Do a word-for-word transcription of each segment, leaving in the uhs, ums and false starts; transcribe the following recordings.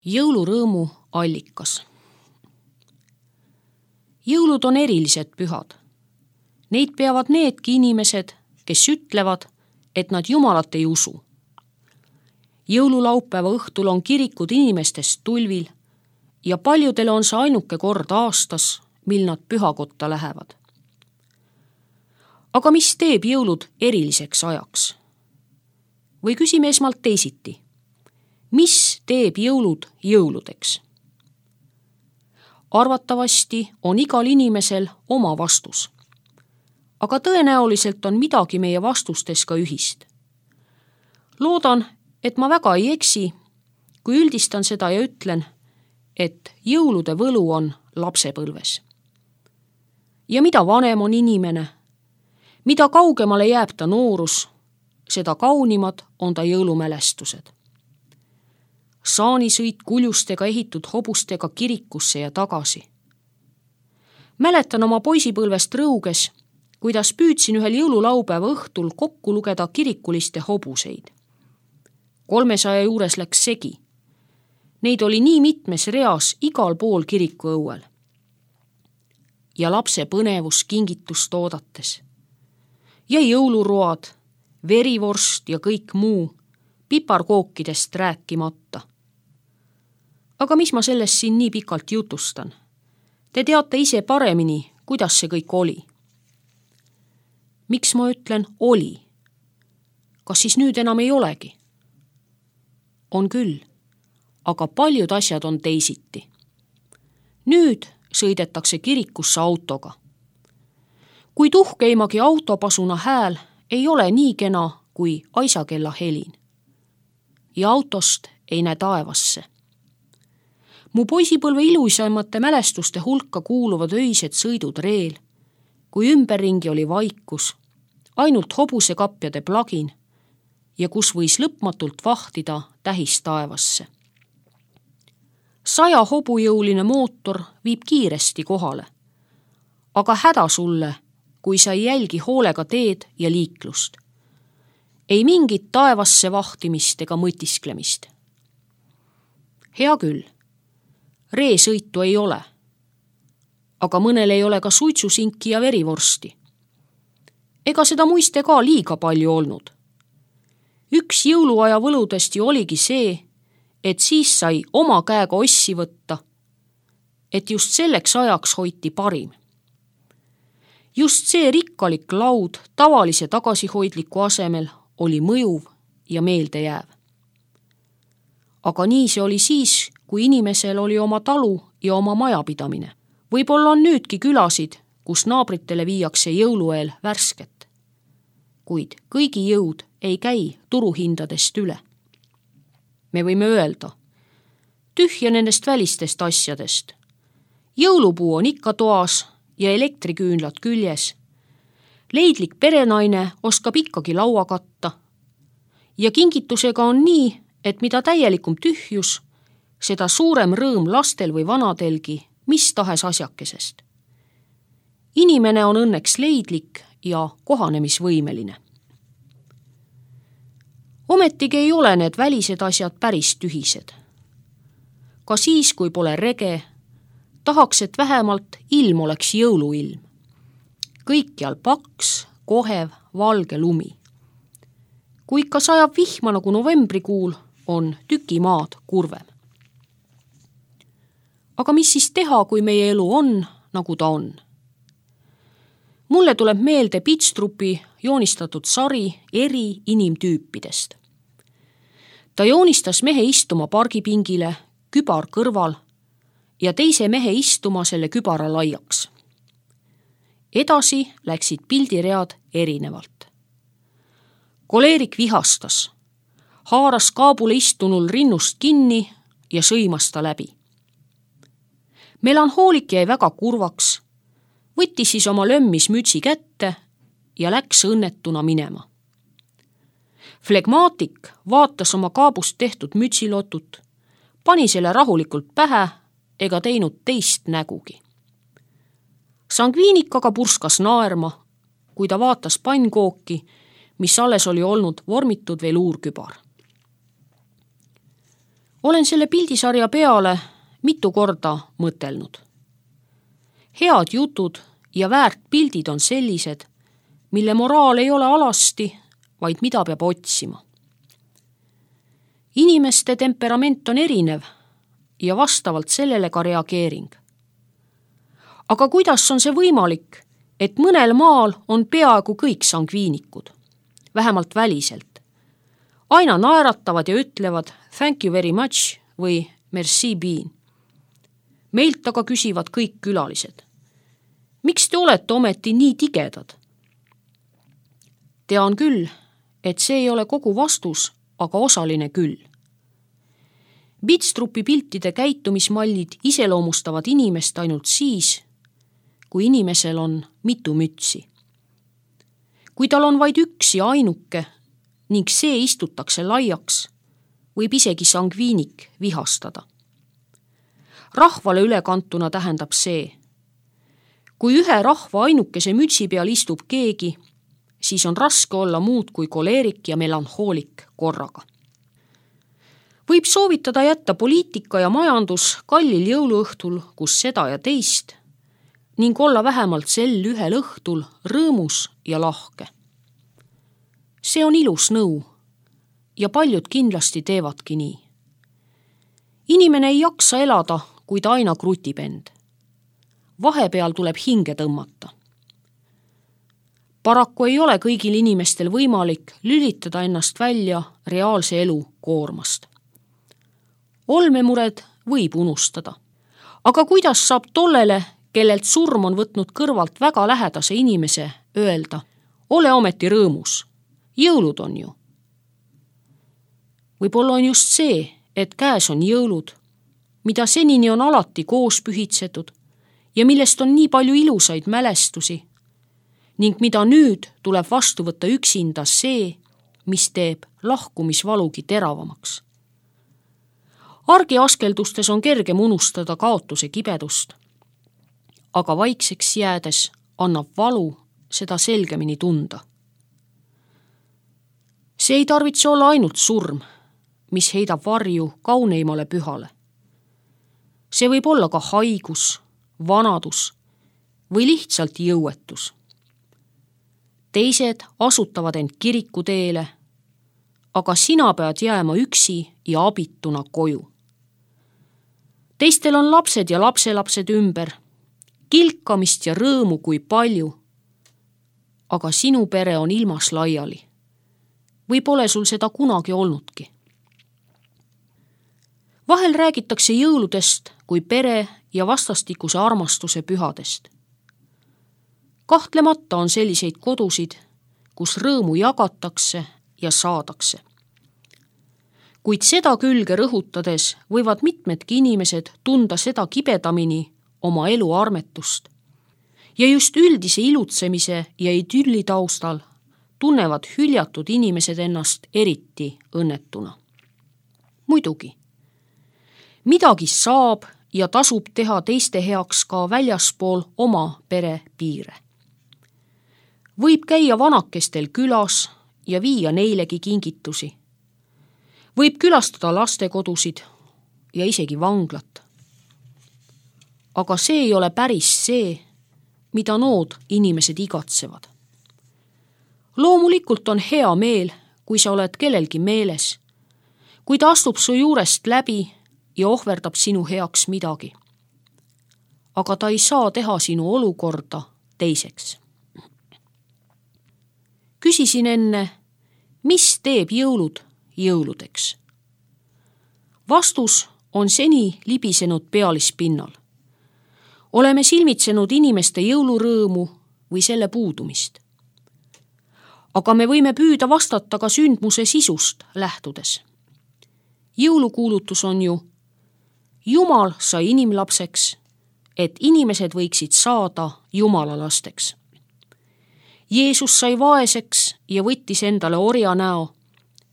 Jõulurõõmu allikas. Jõulud on erilised pühad. Neid peavad needki inimesed, kes ütlevad, et nad Jumalat ei usu. Jõululaupäeva õhtul on kirikud inimestest tulvil ja paljudele on see ainuke kord aastas, mil nad pühakotta lähevad. Aga mis teeb jõulud eriliseks ajaks? Või küsime esmalt teisiti. Mis teeb jõulud jõuludeks? Arvatavasti on igal inimesel oma vastus. Aga tõenäoliselt on midagi meie vastustes ka ühist. Loodan, et ma väga ei eksi, kui üldistan seda ja ütlen, et jõulude võlu on lapsepõlves. Ja mida vanem on inimene, mida kaugemale jääb ta noorus, seda kaunimad on ta jõulumälestused. Saanisõit kuljustega ehitud hobustega kirikusse ja tagasi. Mäletan oma poisipõlvest Rõuges, kuidas püüdsin ühel jõululaupäeva õhtul kokku lugeda kirikuliste hobuseid. Kolmesaja juures läks segi. Neid oli nii mitmes reas igal pool kiriku õuel. Ja lapse põnevus kingitust oodates. Ja jõuluroad, verivorst ja kõik muu, piparkookidest rääkimata. Aga mis ma sellest siin nii pikalt jutustan? Te teate ise paremini, kuidas see kõik oli. Miks ma ütlen oli? Kas siis nüüd enam ei olegi? On küll, aga paljud asjad on teisiti. Nüüd sõidetakse kirikusse autoga. Kui tuhkeimagi autopasuna hääl ei ole nii kena kui aisakella helin. Ja autost ei näe taevasse. Mu poisipõlve iluisamate mälestuste hulka kuuluvad öised sõidud reel, kui ümberringi oli vaikus, ainult hobusekapjade plagin ja kus võis lõpmatult vahtida tähis taevasse. Saja hobujõuline mootor viib kiiresti kohale, aga häda sulle, kui sa ei jälgi hoolega teed ja liiklust. Ei mingit taevasse vahtimist ega mõtisklemist. Hea küll, reesõitu ei ole, aga mõnel ei ole ka suitsusinki ja verivorsti. Ega seda muiste ka liiga palju olnud. Üks jõuluaja võludest ju oligi see, et siis sai oma käega ossi võtta, et just selleks ajaks hoiti parim. Just see rikkalik laud tavalise tagasihoidliku asemel oli mõjuv ja meeldejääv. Aga nii see oli siis, kui inimesel oli oma talu ja oma majapidamine. Võib-olla on nüüdki külasid, kus naabritele viiakse jõulueel värsket. Kuid kõigi jõud ei käi turuhindadest üle. Me võime öelda, tühja nendest välistest asjadest. Jõulupuu on ikka toas ja elektriküünlad küljes. Leidlik perenaine oskab ikkagi laua katta. Ja kingitusega on nii, et mida täielikum tühjus, seda suurem rõõm lastel või vanadelgi mis tahes asjakesest. Inimene on õnneks leidlik ja kohanemisvõimeline. Ometigi ei ole need välised asjad päris tühised. Ka siis, kui pole rege, tahaks, et vähemalt ilm oleks jõuluilm. Kõikjal paks, kohev, valge lumi. Kui ikka sajab vihma nagu novembrikuul, on tükimaad kurvem. Aga mis siis teha, kui meie elu on, nagu ta on? Mulle tuleb meelde Pitstrupi joonistatud sari eri inimtüüpidest. Ta joonistas mehe istuma pargipingile, kübar kõrval ja teise mehe istuma selle kübara laiaks. Edasi läksid pildiread erinevalt. Koleerik vihastas, haaras kaabule istunul rinnust kinni ja sõimas ta läbi. Melanhoolik jäi väga kurvaks, võttis siis oma lömmis mütsi kätte ja läks õnnetuna minema. Flegmaatik vaatas oma kaabust tehtud mütsilotut, pani selle rahulikult pähe ega teinud teist nägugi. Sangviinik aga purskas naerma, kui ta vaatas pannkooki, mis alles oli olnud vormitud veluurkübar. olen selle pildisarja peale mitu korda mõtelnud. Head jutud ja väärt pildid on sellised, mille moraal ei ole alasti, vaid mida peab otsima. Inimeste temperament on erinev ja vastavalt sellele ka reageering. Aga kuidas on see võimalik, et mõnel maal on peaaegu kõik sangviinikud, vähemalt väliselt. Aina naeratavad ja ütlevad thank you very much või merci bien. Meilt aga küsivad kõik külalised. Miks te olete ometi nii tigedad? Tean küll, et see ei ole kogu vastus, aga osaline küll. Bitstrupi piltide käitumismallid iseloomustavad inimest ainult siis, kui inimesel on mitu mütsi. Kui tal on vaid üks ja ainuke ning see istutakse laiaks, võib isegi sangviinik vihastada. Rahvale ülekantuna tähendab see, kui ühe rahva ainukese mütsi peal istub keegi, siis on raske olla muud kui koleerik ja melanhoolik korraga. Võib soovitada jätta poliitika ja majandus kallil jõuluõhtul, kus seda ja teist, ning olla vähemalt sel ühel õhtul rõõmus ja lahke. See on ilus nõu ja paljud kindlasti teevadki nii. Inimene ei jaksa elada, kui ta aina krutib end. Vahepeal tuleb hinge tõmmata. Paraku ei ole kõigil inimestel võimalik lülitada ennast välja reaalse elu koormast. Olmemured võib unustada. Aga kuidas saab tollele, kellelt surm on võtnud kõrvalt väga lähedase inimese, öelda, ole ometi rõõmus, jõulud on ju. Võib-olla on just see, et käes on jõulud, mida senini on alati koos pühitsetud ja millest on nii palju ilusaid mälestusi ning mida nüüd tuleb vastu võtta üksinda see, mis teeb lahkumisvalugi teravamaks. Argiaskeldustes on kergem unustada kaotuse kibedust, aga vaikseks jäädes annab valu seda selgemini tunda. See ei tarvitse olla ainult surm, mis heidab varju kauneimale pühale. See võib olla ka haigus, vanadus või lihtsalt jõuetus. Teised asutavad end kirikuteele, aga sina pead jääma üksi ja abituna koju. Teistel on lapsed ja lapselapsed ümber, kilkamist ja rõõmu kui palju, aga sinu pere on ilmas laiali. Või pole sul seda kunagi olnudki? Vahel räägitakse jõuludest kui pere ja vastastikuse armastuse pühadest. Kahtlemata on selliseid kodusid, kus rõõmu jagatakse ja saadakse. Kuid seda külge rõhutades võivad mitmedki inimesed tunda seda kibedamini oma elu armetust. Ja just üldise ilutsemise ja idülli taustal tunnevad hüljatud inimesed ennast eriti õnnetuna. Muidugi, midagi saab ja tasub teha teiste heaks ka väljaspool oma pere piire. Võib käia vanakestel külas ja viia neilegi kingitusi. Võib külastada lastekodusid ja isegi vanglat. Aga see ei ole päris see, mida nood inimesed igatsevad. Loomulikult on hea meel, kui sa oled kellelgi meeles, kui ta astub su juurest läbi ja ohverdab sinu heaks midagi. Aga ta ei saa teha sinu olukorda teiseks. Küsisin enne, mis teeb jõulud jõuludeks? Vastus on seni libisenud pealispinnal. Oleme silmitsenud inimeste jõulurõõmu või selle puudumist. Aga me võime püüda vastata ka sündmuse sisust lähtudes. Jõulukuulutus on ju, Jumal sai inimlapseks, et inimesed võiksid saada Jumala lasteks. Jeesus sai vaeseks ja võttis endale orja näo,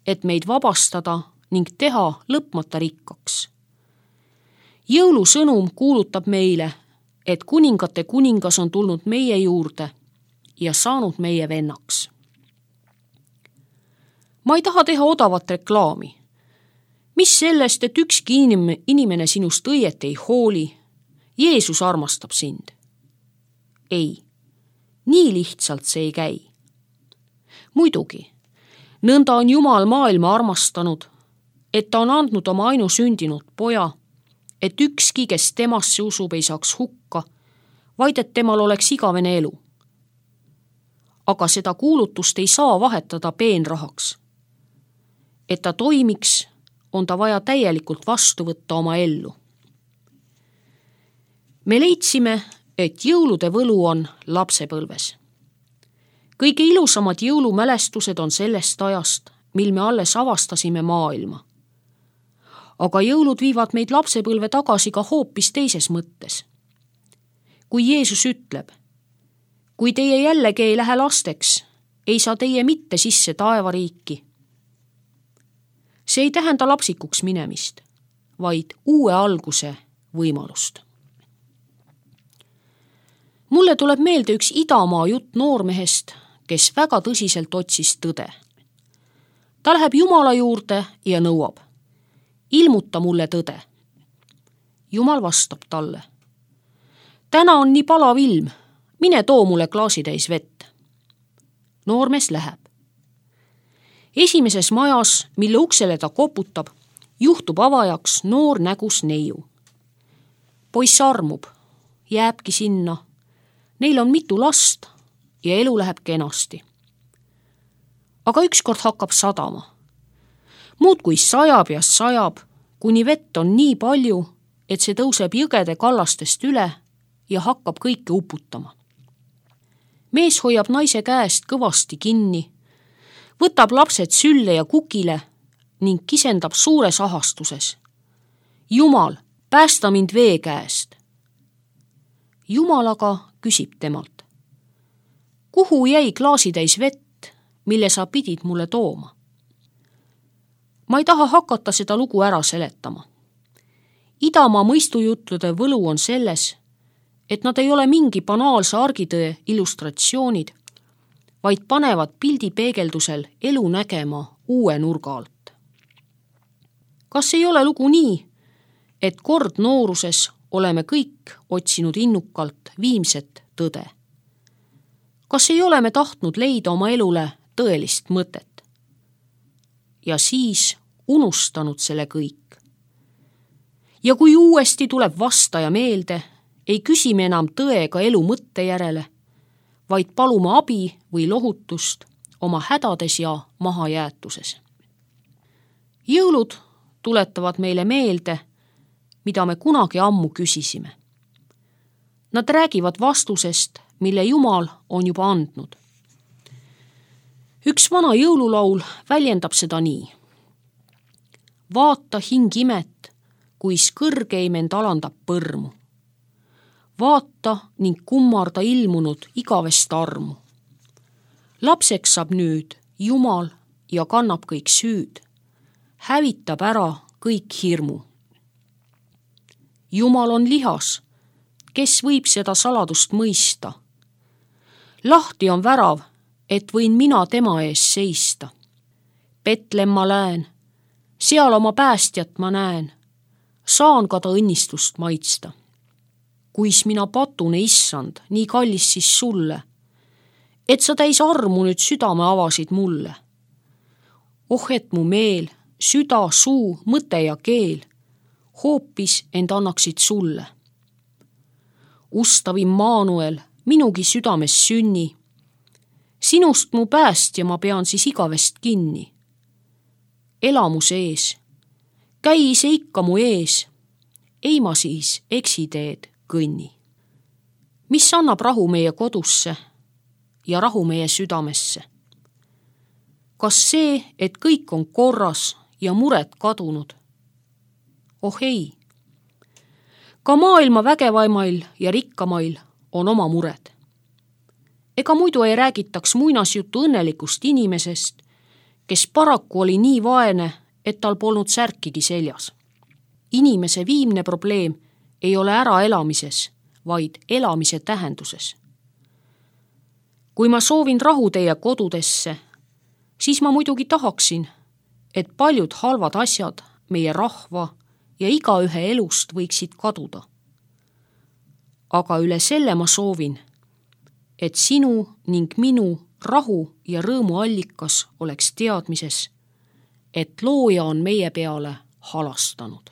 et meid vabastada ning teha lõpmata rikkaks. Jõulusõnum kuulutab meile, et kuningate kuningas on tulnud meie juurde ja saanud meie vennaks. Ma ei taha teha odavat reklaami. mis sellest, et ükski inim- inimene sinust õieti ei hooli? Jeesus armastab sind. Ei, nii lihtsalt see ei käi. Muidugi, nõnda on Jumal maailma armastanud, et ta on andnud oma ainusündinud poja, et ükski, kes temasse usub, ei saaks hukka, vaid et temal oleks igavene elu. Aga seda kuulutust ei saa vahetada peenrahaks. Et ta toimiks, on ta vaja täielikult vastu võtta oma ellu. Me leidsime, et jõulude võlu on lapsepõlves. Kõige ilusamad jõulumälestused on sellest ajast, mil me alles avastasime maailma. Aga jõulud viivad meid lapsepõlve tagasi ka hoopis teises mõttes. Kui Jeesus ütleb, kui teie jällegi ei lähe lasteks, ei saa teie mitte sisse taevariiki. See ei tähenda lapsikuks minemist, vaid uue alguse võimalust. Mulle tuleb meelde üks Idamaa jutt noormehest, kes väga tõsiselt otsis tõde. Ta läheb Jumala juurde ja nõuab, ilmuta mulle tõde. Jumal vastab talle, täna on nii palav ilm, mine too mulle klaasitäis vett. Noormees läheb. Esimeses majas, mille uksele ta koputab, juhtub avajaks noor nägus neiu. Poiss armub, jääbki sinna. Neil on mitu last ja elu läheb kenasti. Aga ükskord hakkab sadama. Muud kui sajab ja sajab, kuni vett on nii palju, et see tõuseb jõgede kallastest üle ja hakkab kõike uputama. Mees hoiab naise käest kõvasti kinni, võtab lapsed sülle ja kukile ning kisendab suures ahastuses. Jumal, päästa mind vee käest. Jumal aga küsib temalt, kuhu jäi klaasitäis vett, mille sa pidid mulle tooma? Ma ei taha hakata seda lugu ära seletama. Idamaa mõistujutlude võlu on selles, et nad ei ole mingi banaalse argitõe illustratsioonid, vaid panevad pildi peegeldusel elu nägema uue nurga alt. Kas ei ole lugu nii, et kord nooruses oleme kõik otsinud innukalt viimset tõde? Kas ei ole me tahtnud leida oma elule tõelist mõtet? Ja siis unustanud selle kõik. Ja kui uuesti tuleb vastaja meelde, ei küsi me enam tõe ega elu mõtte järele, vaid palume abi või lohutust oma hädades ja mahajäetuses. Jõulud tuletavad meile meelde, mida me kunagi ammu küsisime. Nad räägivad vastusest, mille Jumal on juba andnud. Üks vana jõululaul väljendab seda nii. Vaata hing imet, kuis kõrgeim end alandab põrmu. Vaata ning kummarda ilmunud igavest armu. Lapseks saab nüüd Jumal ja kannab kõik süüd. Hävitab ära kõik hirmu. Jumal on lihas, kes võib seda saladust mõista. Lahti on värav, et võin mina tema ees seista. Petlemma lähen, seal oma päästjat ma näen, saan ka ta õnnistust maitsta. Kuis mina patune, issand, nii kallis siis sulle, et sa täis armu nüüd südame avasid mulle. Oh, et mu meel, süda, suu, mõte ja keel hoopis end annaksid sulle. Ustav Immanuel, minugi südames sünni, sinust mu päästja ma pean siis igavest kinni. Elamu sees, käi ise ikka mu ees, ei ma siis eksiteed kõnni. Mis annab rahu meie kodusse ja rahu meie südamesse? Kas see, et kõik on korras ja mured kadunud? Oh ei, ka maailma vägevaimail ja rikkamail on oma mured. Ega muidu ei räägitaks muinasjutu õnnelikust inimesest, kes paraku oli nii vaene, et tal polnud särkigi seljas. Inimese viimne probleem ei ole äraelamises, vaid elamise tähenduses. Kui ma soovin rahu teie kodudesse, siis ma muidugi tahaksin, et paljud halvad asjad meie rahva ja igaühe elust võiksid kaduda. Aga üle selle ma soovin, et sinu ning minu rahu ja rõõmu allikas oleks teadmises, et looja on meie peale halastanud.